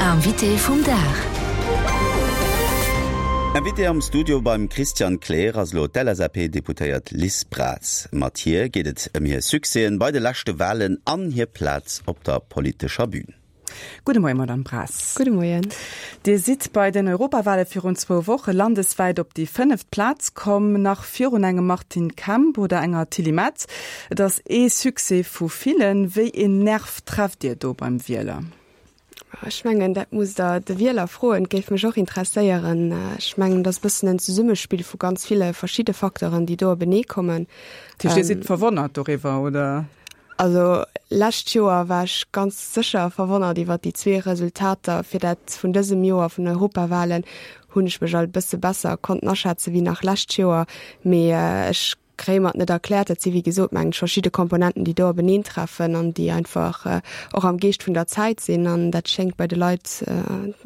Invité vum Dag. Invité am Studio beim Christian Kleer ass elo d'LSAP-Deputéiert Liz Braz. Mat hir geet et ëm hir Succèsen bei de leschte Walen an hir Plaz op der politescher Bün. Gudde Moien, Madame Braz. Gudde Moien. Dir sidd bei den Europawale virun zwou Woche landeswäit op déi fënneft Plaz komm, nach virun engem Martin Kemp oder enger Tilly Metz. Et ass ee Succès vu villen. Wéi een Nerv trefft Dir do beim Wieler? Ech mengen, dat musst Der de Wieler froen. Et géif mech och interesséieren. Ech mengen, et ass e bëssen en Zesummespill vu ganz ville verschidde Facteuren, déi do openee kommen. Dat heescht, Dir sidd verwonnert doriwwer, oder? Also lescht Joer war ech ganz sécher verwonnert iwwer déi zwee Resultater. Fir dat vun dësem Joer, vun den Europawahlen, hunn ech mech alt e bësse besser konnten aschätzen wéi nach lescht Joer. Mee ech kréie mer et net erkläert. Dat si wéi gesot, mengen ech, verschidde Komponenten, déi do openeentreffen an déi einfach och am Geescht vun der Zäit sinn. An dat schéngt bei de Leit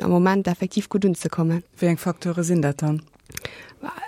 am Moment effektiv gutt unzekommen. Wéi eng Facteure sinn dat dann?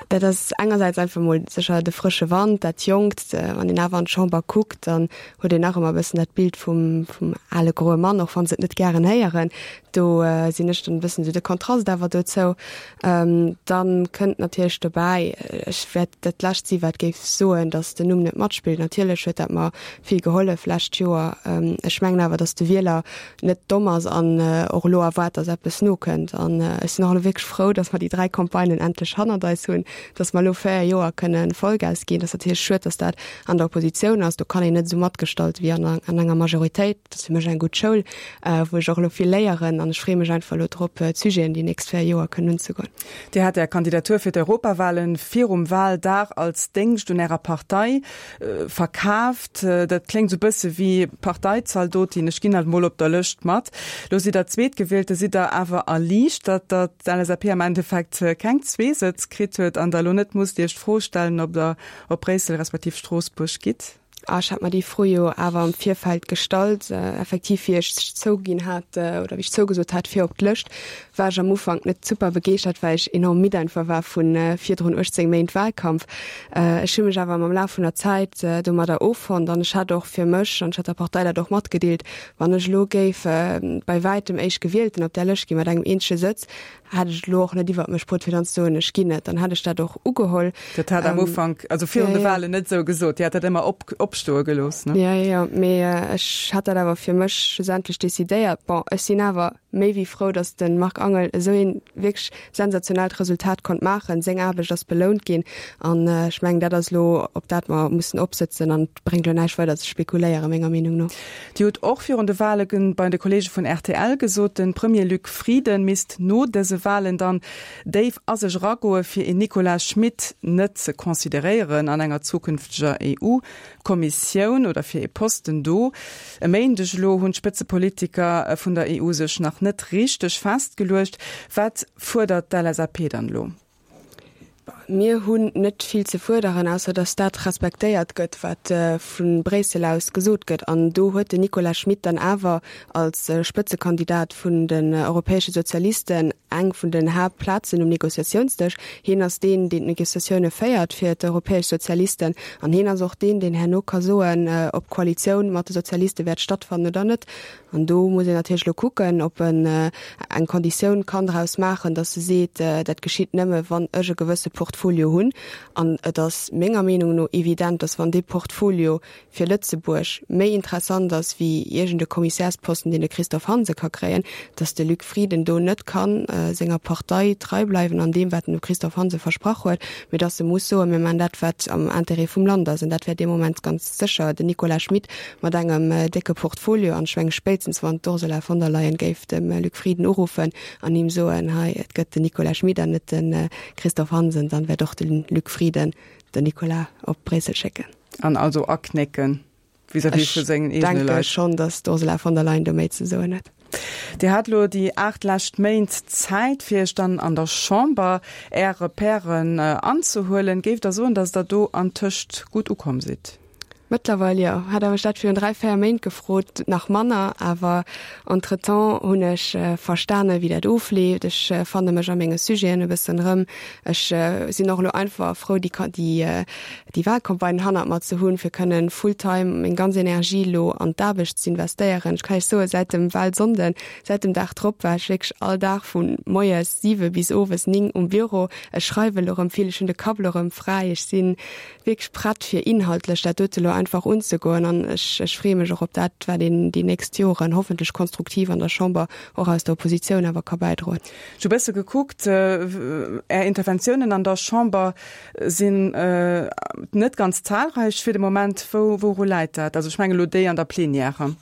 Dat ass engersäits einfach mol sécher de frësche Wand, dat Jonkt. Wann een awer an d'Chamber kuckt, dann huet een nach ëmmer e bëssen dat Bild vum, vum ale groe Mann, och wa se et net gären héieren. Do sinn ech dann e bëssen esou de Kontrast awer dozou. Dann kënnt natierlech dobäi, ech wäert dat Lescht si wat géif soen, datt den Numm net matspillt. Natierlech huet dat mer vill gehollef lescht Joer. Ech mengen awer, datt de Wieler net domm ass an och elo erwaart, dass eppes nokënnt. An ech sinn och elo wierklech frou, dass mer déi 3 Campagnen endlech hannert eis hunn, dass mer elo 4 Joer kënne Vollgas ginn. Et ass natierlech schued, dass dat an der Oppositioun ass. Do kann een net esou matgestalten wéi an an enger Majoritéit. Dat ass fir mech eng gutt Schoul, wou ech och elo vill léieren. An ech freeë mech einfach elo drop, d'Sujeten déi nächst 4 Joer kënnen unzegoen. Dir hat Är Kandidatur fir d'Europawahlen virum Wahldag als Déngscht un Ärer Partei Verkaaft, dat kléngt sou bësse wéi Parteizaldotin, ech ginn halt mol op der Lëscht mat. Lo sidd der Zweetgewielte, sidd der awer erliichtert, datt d'LSAP am Endeffekt keng zwee Sëtz kritt huet an der elo net musst Iech d'Fro stellen, ob der op Bréissel respektiv Stroossbuerg gitt? Ah, ech hat mer déi Fro jo awer am Virfeld gestallt. Effektiv, wéi ech zouginn hat oder wéi ech zougesot hat fir op d'Lëscht, war ech am Ufank net super begeeschtert, well ech enorm midd einfach war vu virdrun 18 Méint Wahlkampf. Ech hu mech awer mam Laf vun der Zäit domadder offonnt an ech hat och fir mech, an ech hat der Partei dat och matgedeelt, wann ech elo géif bei wäitem Éischtgewielten op där Lëscht ginn mat engem eenzege Sëtz, hätt ech et elo och net iwwert mech bruet fir dann ze soen, ech ginn net. Dann hätt ech dat och ugeholl. Dat hat am Ufank, also virun de Wahlen net esou gesot. Dir hat dat ëmmer op, opstoe gelooss, ne? Jo, jo, mee ech hat dat awer fir mech schlussendlech decidéiert. Bon, ech sinn awer méi wéi frou, datt de Marc Angel esou een wierklech sensationellt Resultat konnt maachen. Seng Aarbecht ass belount ginn an ech mengen, dat ass elo, op dat mer mussen opsëtzen an et bréngt elo näischt weider ze spekuléieren, menger Meenung no. Dir hutt och virun de Wale bei de Kolleege vun rtl gesot, de Premier Luc Frieden misst no dëse Walen dann déif a sech eragoe fir een Nicolas Schmit net ze consideréieren an enger zukünfteger EU. Kommissioun oder fir ee Posten do. E Méindeg elo hunn d'Spëtzepolitiker vun der EU sech nach net richteg festgeluecht. Wat fuerdert d'LSAP dann elo? Mir hunn net vill ze fuerderen, ausser datt dat respektéiert gëtt, wat vu Bréissel aus gesot gëtt. An do huet den Nicolas Schmit dann awer als Spëtzekandidat vun den europäesche Sozialisten eng vun den Haaptplazen um Negociatiounsdësch. Hien ass deen, deen d'Negociatioune féiert fir d'europäesch Sozialisten. An hien ass och deen, deen herno ka soen, ob d'Koalitioun mat de Sozialiste wäert stattfannen oder net. An do muss een natierlech elo kucken, ob en eng Konditioun kann draus maachen, datt e seet, dat geschitt nëmme wann ech e gewësse Portfolio hunn. An et ass menger Meenung no evident, datt wann dee Portfolio fir Lëtzebuerg méi interessant ass wéi iergend e Kommissärsposten, deen de Christophe Hansen ka kréien, datt de Luc Frieden do net ka senger Partei trei bleiwen an deem, wat en dem Christophe Hansen versprach huet, mee datt e muss soen, mir maachen dat, wat am Intérêt vum Land ass. An dat wär dee Moment ganz sécher den Nicolas Schmit mat engem décke Portfolio. An ech menge spéitstens wann d'Ursula von der Leyen géif dem Luc Frieden uruffen an him soen, hei, et gëtt den Nicolas Schmit an net de Christophe Hansen, dann wäert och de Luc Frieden den Nicolas op Bréissel schécken. An also aknécken vis-à-vis vu sengen eegene Leit. Ech denke schonn, datt d'Ursula von der Leyen do méi ze soen huet. Dir hat elo déi 8 lescht Méint Zäit, fir Iech dann an der Chamber Är Repèren anzehuelen. Géift Der soen, datt Der do antëscht gutt ukomm sidd? Mëttlerweil jo. Hätt Der mech dat virun 3, 4 Méint gefrot, nach manner. Awer entretemps hunn ech verstane wéi dat ofleeft. Ech fanne mech a menge Sujeten e bëssen erëm. Ech sinn och elo einfach frou, déi déi déi Wahlcampagne hannert mer ze hunn, fir kënnen full-time meng ganz Energie elo an d'Aarbecht z'investéieren. Ech kann Iech soen, säit dem Wahlsonnden, säit dem Dag drop war ech wierklech all Dag vu moies 7 bis owes 9 um Büro. Ech schreiwe elo erëm vill, ech hunn de Kapp elo erëm fräi. Ech sinn wierklech prett fir inhaltlech dat dote elo einfach unzegoen an ech ech freeë mech och op dat, wat een déi nächst Joren hoffentlech konstruktiv an der Chamber och aus der Oppositioun awer ka bäidroen. Ech hu bësse gekuckt, Är Interventiounen an der Chamber sinn net ganz zahlreich fir de Moment. Wou wouru läit dat? Also ech mengen elo déi an der Plenière.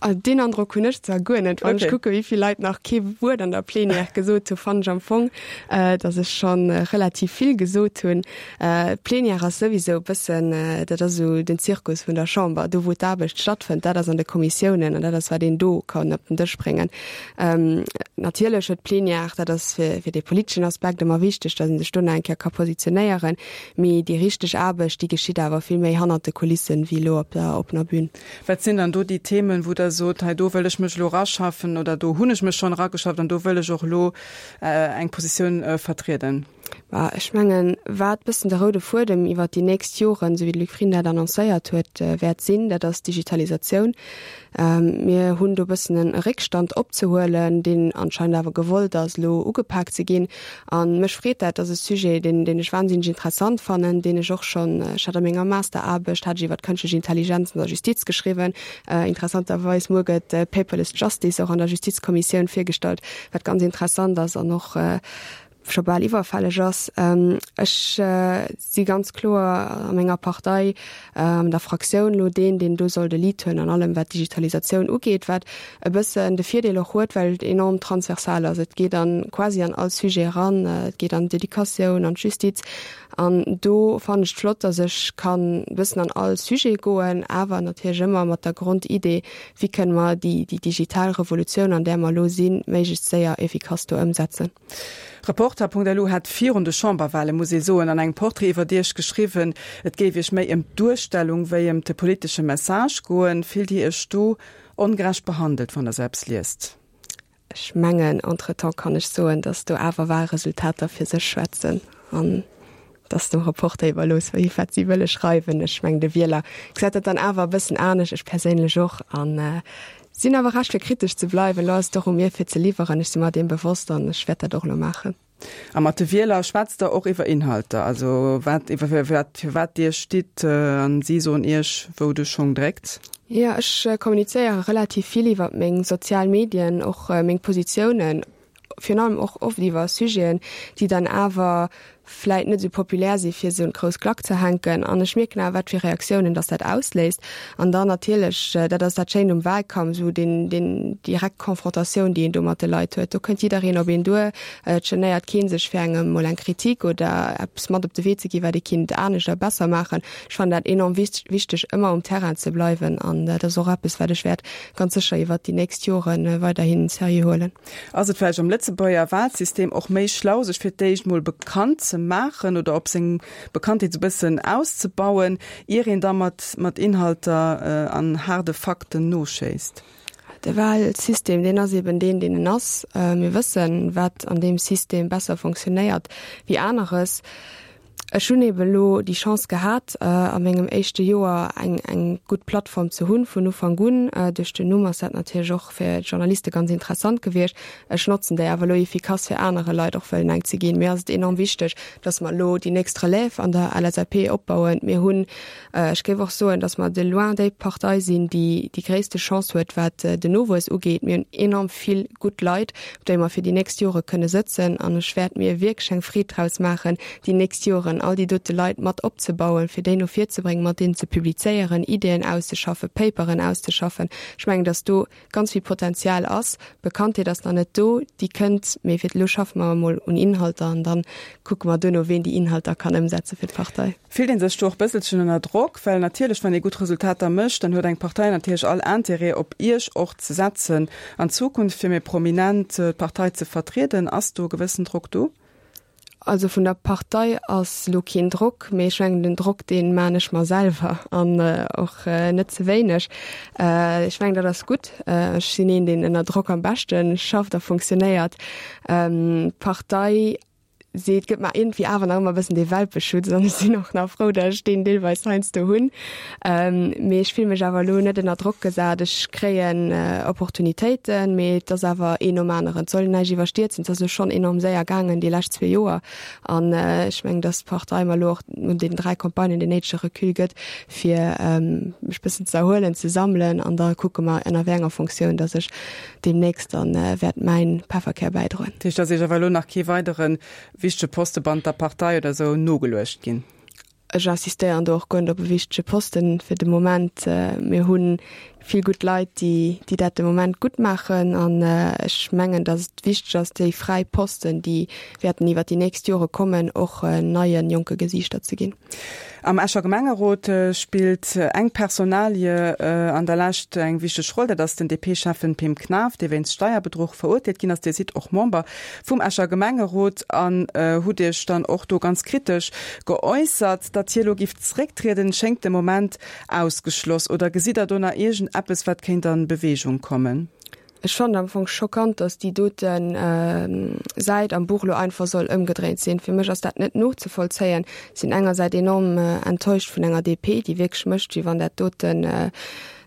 Also deen Androck hunn ech zwar guer net. Wann ech kucke wéi vill Leit nach kee Wuert an der Plenière gesot hu, fannen ech am Fong, datt ech scho relativ vill gesot hunn. D'Plenière ass souwisou e bëssen, dat ass esou den Zirkus vun der Chamber, do wou d'Aarbecht stattfënnt, dat ass an de Kommissiounen an dat ass wat een do kann op den Dësch bréngen. Natierlech huet d'Plenière, dat ass fir dee politeschen Aspekt ëmmer wichteg, datt ee sech do nach eng Kéier ka positionéieren, mee déi richteg Aarbecht, déi geschitt awer vill méi hannert de Kulissen wéi elo op der oppener Bühn. Wat sinn dann do déi Themen, wou Der sot, hei do wëll ech mech elo eraschaffen oder do hunn ech mech schonn erageschafft an do wëll ech och elo eng Positioun vertrieden? Bah, ech mengen, wat bëssen de roude Fuedem iwwert déi nächst Joren, esou wéi de Luc Frieden dat annoncéiert huet, wäert sinn, dat ass d'Digitalisatioun. Mir hunn do bëssen e Réckstand opzehuelen, deen anscheinend awer gewollt ass, elo ugepak ze ginn. A mech freet dat. Dat ass e Sujet, deen, deen ech wahnsinneg interessant fannen, deen ech och schonn, ech hat a menger Masteraarbecht hat ech iwwer d'kënschtlech Intelligenz an der Justiz geschriwwen. Interessanterweis, muer gëtt Paperless Justice och an der Justizkommissioun virgestallt, wat ganz interessant ass an och scho bal iwwerfälleg ass. Ech si ganz kloer a menger Partei, an der Fraktioun elo deen, deen do soll de Lead huelen an allem, wat d'Digitalisatioun ugeet, wat e bëssen de Virdeel och huet, well et enorm transversal ass. Et geet an quasi an all Sujet eran, et geet an d'Educatioun, an d'Justiz. An do fannen ech et flott, datt ech kann e bëssen an all Sujet goen, awer natierlech ëmmer mat der Grondidee, wéi kënne mer déi digital Revolutioun, an där mer elo sinn, méiglechst séier efficace do ëmsetzen. Reporter.lu hat virun de Chamberwahlen, muss ee soen, an engem Portrait iwwert Iech geschriwwen, et géif Iech méi ëm d'Duerstellung wéi ëm de politesche Message goen. Fillt Dir Iech do ongerecht behandelt, wann Der sou eppes liest? Ech mengen, entretemps kann ech soen, datt do awer Wahlresultater fir sech schwätzen an datt dem Reporter iwwerlooss, wéi wat si wëlle schreiwen. Ech mengen, de Wieler gesäit dat dann awer e bëssen anescht, ech perséinlech och. An Sinn awer Recht fir kritesch ze bleiwen. Elo ass et och u mir fir ze liwweren. Ech si mer deem bewosst an ech wäert dat och elo maachen. A mat de Wieler schwätzt Der och iwwer Inhalter, also wat, iwwer wat, fir wat Dir stitt an si soen Iech, wou de Schong dréckt? Jo, ech kommunizéiere relativ vill iwwer meng sozial Medien, och meng Positiounen. virun allem och oft iwwer Sujeten, déi dann awer vläit net esou populär si fir se un d'grouss Klack ze hänken. An ech mierken awer, wat fir Reaktiounen dass dat ausléist. An dann natierlech, dat ass dat Schéint um Wahlkampf, esou deen, deen direkt Confrontatioun, déi een do mat de Leit huet. Do kënnt jiddereen op een duer, et genéiert kee sech fir engem mol eng Kritik oder eppes mat op de Wee ze ginn, wat ee kinnt anescht a besser maachen. Ech fannen dat enorm wichteg, ëmmer um Terrain ze bleiwen an dat ass och eppes, wat ech wäert ganz sécher iwwert déi nächst Jore weiderhi seriö huelen. Ass et vläicht am Lëtzebuerger Wahlsystem och méi schlau, sech fir d'éischt mol bekannt ze maachen oder op seng Bekanntheet esou bëssen auszebauen, ier een da mat mat Inhalter an haarde Fakten noschéisst? De Wahlsystem, deen ass eben deen, deen en ass. Mir wëssen, wat an deem System besser fonctionnéiert wéi aneres. Ech hunn eben elo déi Chance gehat, a mengem éischte Joer eng eng gutt Plattform ze hunn vun Ufank un. Duerch den Numm ass dat natierlech och fir d'Journaliste ganz interessant gewiescht. Ech notzen déi awer elo efficace fir anere Leit och wëllen eng ze ginn. Mir ass et enorm wichteg, datt mer elo déi nächst Relève an der LSAP opbauen. Mir hunn, ech géif och soen, datt mer de loin déi Partei sinn, déi déi gréisste Chance huet, wat den Nowuess ugeet. Mir hunn enorm vill gutt Leit, op déi mer fir déi nächst Jore kënne sëtzen. An ech wäert mir wierklech eng Freed draus maachen, déi nächst Joren all déi dote Leit mat opzebauen, fir déi no vir ze bréngen, mat deenen ze publizéieren, Ideeën auszeschaffen, Paperen auszeschaffen. Ech mengen, datt do ganz vill Potenzial ass. D'Bekanntheet ass nach net do, déi kënnt, mee fir elo schaffe mer emol un Inhalter an da kucke mer duerno, ween déi Inhalter kann ëmsetze fir d'Partei. Fillt ee sech do och bësselchen ënner Drock? Well natierlech, wann ee gutt Resultater mécht, dann huet eng Partei natierlech all Intérêt, op Iech och ze setzen an Zukunft, fir méi prominent d'Partei ze vertrieden. Ass do e gewëssen Drock do? Also vun der Partei ass elo keen Drock, mee ech mengen den Drock dee maan ech mer selwer an och net ze wéineg. Ech mengen dat ass gutt. Ech sinn een deen ënner Drock am beschte schafft a funktionéiert. D'Partei seet, gëtt mer iergendwéi awer nach ëmmer e bëssen dee Welpeschutz an ech sinn och nach frou, datt ech deen deelweis heiansdo hunn. Mee ech fille mech awer elo net ënner Drock gesat. Ech kréien Opportunitéiten, mee et ass awer een nom aneren. Et soll een näischt iwwerstierzen. Et ass elo schonn enorm séier gaangen déi lescht zwee Joer an ech mengen, datt d'Partei mer elo och no deenen 3 Campagnen deen néidege Recul gëtt, fir mech bëssen ze erhuelen, ze sammelen an da kucke mer ënner wéi enger Fonctioun, datt ech deemnächst dann wäert mäin Pefferkär bäidroen. Dat heescht, dass Iech awer elo nach kee weidere wichtege Poste bannent der Partei oder esou nogeluecht ginn? Ech insistéieren do och guer net op e wichtege Posten fir de Moment. Mir hu vill gutt Leit, déi déi dat de Moment gutt maachen an ech mengen, dass et wichteg ass, déi fräi Posten, déi wäerten iwwert déi nächst Jore kommen, och neie jonke Gesiichter ze ginn. Am Escher Gemengerot spillt eng Personalie an der Lescht eng wichteg Roll, dat ass den DP-Schäffen Pim Knaff, dee wéinst Steierbedruch verurteelt ginn ass. Dir sidd och Member vum Escher Gemengerot an hutt Iech dann och do ganz kritesch geäussert. Datt hie lo giff zerécktrieden, schéngt de Moment ausgeschloss. Oder gesitt Der do nach iergend eppes, wat kéint an Beweegung kommen? Ech fannen am Fong schockant, dass déi doten Säit am Buch lo einfach soll ëmgedréint sinn. Fir mech ass dat net nozevollzéien. Sinn engersäit enorm enttäuscht vun enger DP, déi wierklech mécht, wéi wann dat doten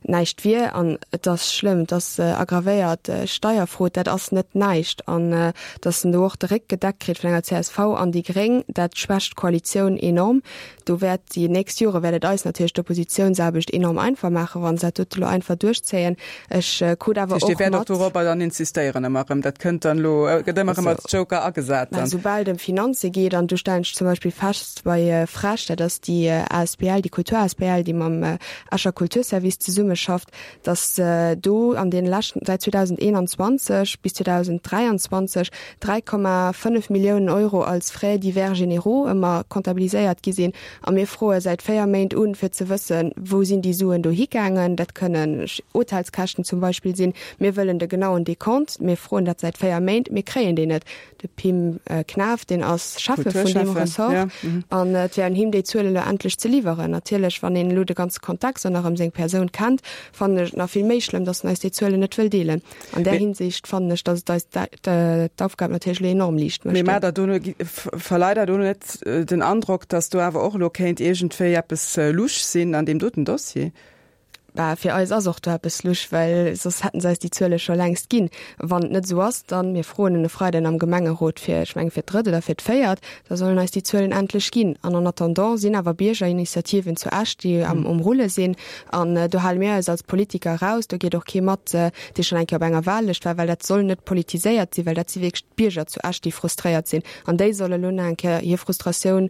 näischt wier. An et ass schlëmm, et ass aggravéiert Steierfrot, dat ass net näischt. An dass en do och de Réck gedeckt kritt vun enger csv an déi Gréng, dat schwächt d'Koalitioun enorm. Do wäert déi nächst Jore wäert et eis natierlech d'Oppositiounsaarbecht enorm einfach maachen, wa se dat dote lo einfach duerchzéien. Ech krut awer och mat. Dir wäert och dorobber dann insistéieren ëmmer erëm. Dat kënnt dann elo, gëtt ëmmer erëm als Joker agesat dann. Soubal et ëm Finanze geet, an do stellen ech zum Beispill fest bei FrEsch, dat ass déi asbl, déi Kultur-asbl, déi mam Escher Kulturservice zesummeschafft, datt do an deene leschten, säit 2021 bis 2023, 3,5 Milliounen Euro als Frais divers généraux ëmmer comptabiliséiert gi sinn. A mir froe säit 4 Méint un, fir ze wëssen, wou sinn déi Suen do higaangen. Dat kënnen Hotelskäschten zum Beispill sinn. Mir wëllen de genauen Dekont. Mir froen dat säit 4 Méint. Mir kréien deen net. De Pim Knaff, deen ass Schäffe vun deem Ressort. An et wär un him, déi Zuele lo endlech ze liwweren. Natierlech, wann een elo de ganze Kontext an nach ëm seng Persoun kennt, fannen ech et nach vill méi schlëmm, datt en eis déi Zuelen net wëll deelen. An där Hinsicht fannen ech, datt et eis d'Aufgab natierlech elo enorm liicht mécht. Mee maacht Der do, verleiht Der do net den Androck, datt do awer och elo kéint iergendwéi eppes lusch sinn an deem doten Dossier? Bah, fir eis ass och do eppes lusch, well soss hätten se eis déi Zuele scho längst ginn. Wann et net esou ass, dann, mir froen en e Freiden am Gemengerot fir, ech mengen, fir d'drëtt oder fir d'véiert, da sollen eis déi Zuelen endlech ginn. An en attendant sinn awer Biergerinitiativen zu Esch, déi am um Rulle sinn. An do hale mir eis als Politiker eraus. Do geet och kee mat, dee schonn eng Kéier op enger Wahllëscht war, well dat soll net politiséiert sinn, well dat si wierklech d'Bierger zu Esch, déi frustréiert sinn. An déi solle lo nach eng Kéier hir Frustratioun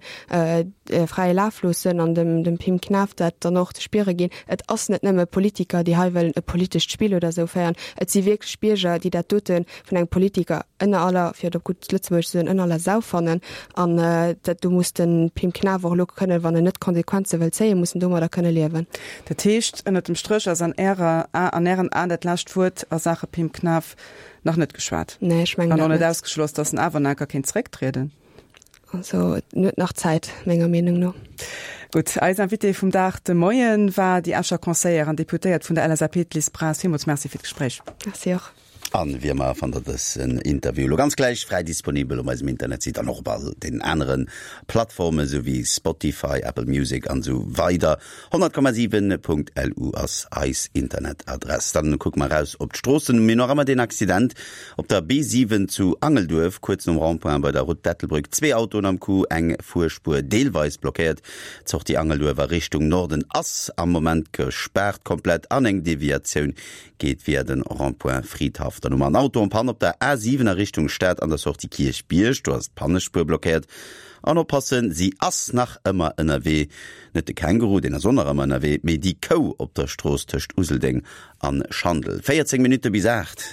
fräie Laf loossen an dem dem Pim Knaff dat dann och ze spiere ginn. Et ass net nëmme Politiker, déi hei wëllen e politescht Spill oder esou féieren. Et si wierklech Bierger, déi dat dote vun engem Politiker ënner aller, fir et op gutt Lëtzebuergesch ze soen, ënner aller Sau fannen. An dat do muss de Pim Knaff och elo kënnen, wann en net d'Konsequenze wëll zéien, muss en domadder kënne liewen. Dat heescht, ënnert dem Stréch ass an Ärer an Ären Aen dat lescht Wuert a Saache Pim Knaff nach net geschwat? Nee, ech mengen dat net. An och net ausgeschloss, datt en awer nach enker kéint zerécktrieden? Also en huet nach Zäit, menger Meenung no. Gutt, eis Invitée vum Dag de Moien war déi Escher Conseillère an Deputéiert vun der LSAP, d'Liz Braz. Villmools Merci fir d'Gespréich. Merci och. An wéi ëmmer fannt der dësen Interview elo ganz gläich fräi disponibel op eisem Internetsite an och op all den anere Plattformen, sou wéi Spotify, Apple Music an esou weider. 100,7.lu ass eis Internetadress. Dann kucke mer eraus op d'Stroossen. Mir hunn nach ëmmer deen Accident op der B7 zu Angelduerf, kuerz nom Rond-point bei der Route d'Ettelbréck. Zwee Autoen am Coup, eng Fuerspuer deelweis blockéiert. D'Sortie Angelduerf a Richtung Norden ass am Moment gespaart komplett an eng Deviatioun geet via den Rond-point Fridhaff. Dann hu mer en Auto en panne op der A7 a Richtung Stad an der Sortie Kierchbierg. Do ass d'Pannespuer blockéiert. An oppassen, si ass nach ëmmer ënnerwee. Net de Känguru, deen ass och nach ëmmer ënnerwee, mee déi Kou op der Strooss tëscht Useldeng an Schandel. 14 Minutte bis 8.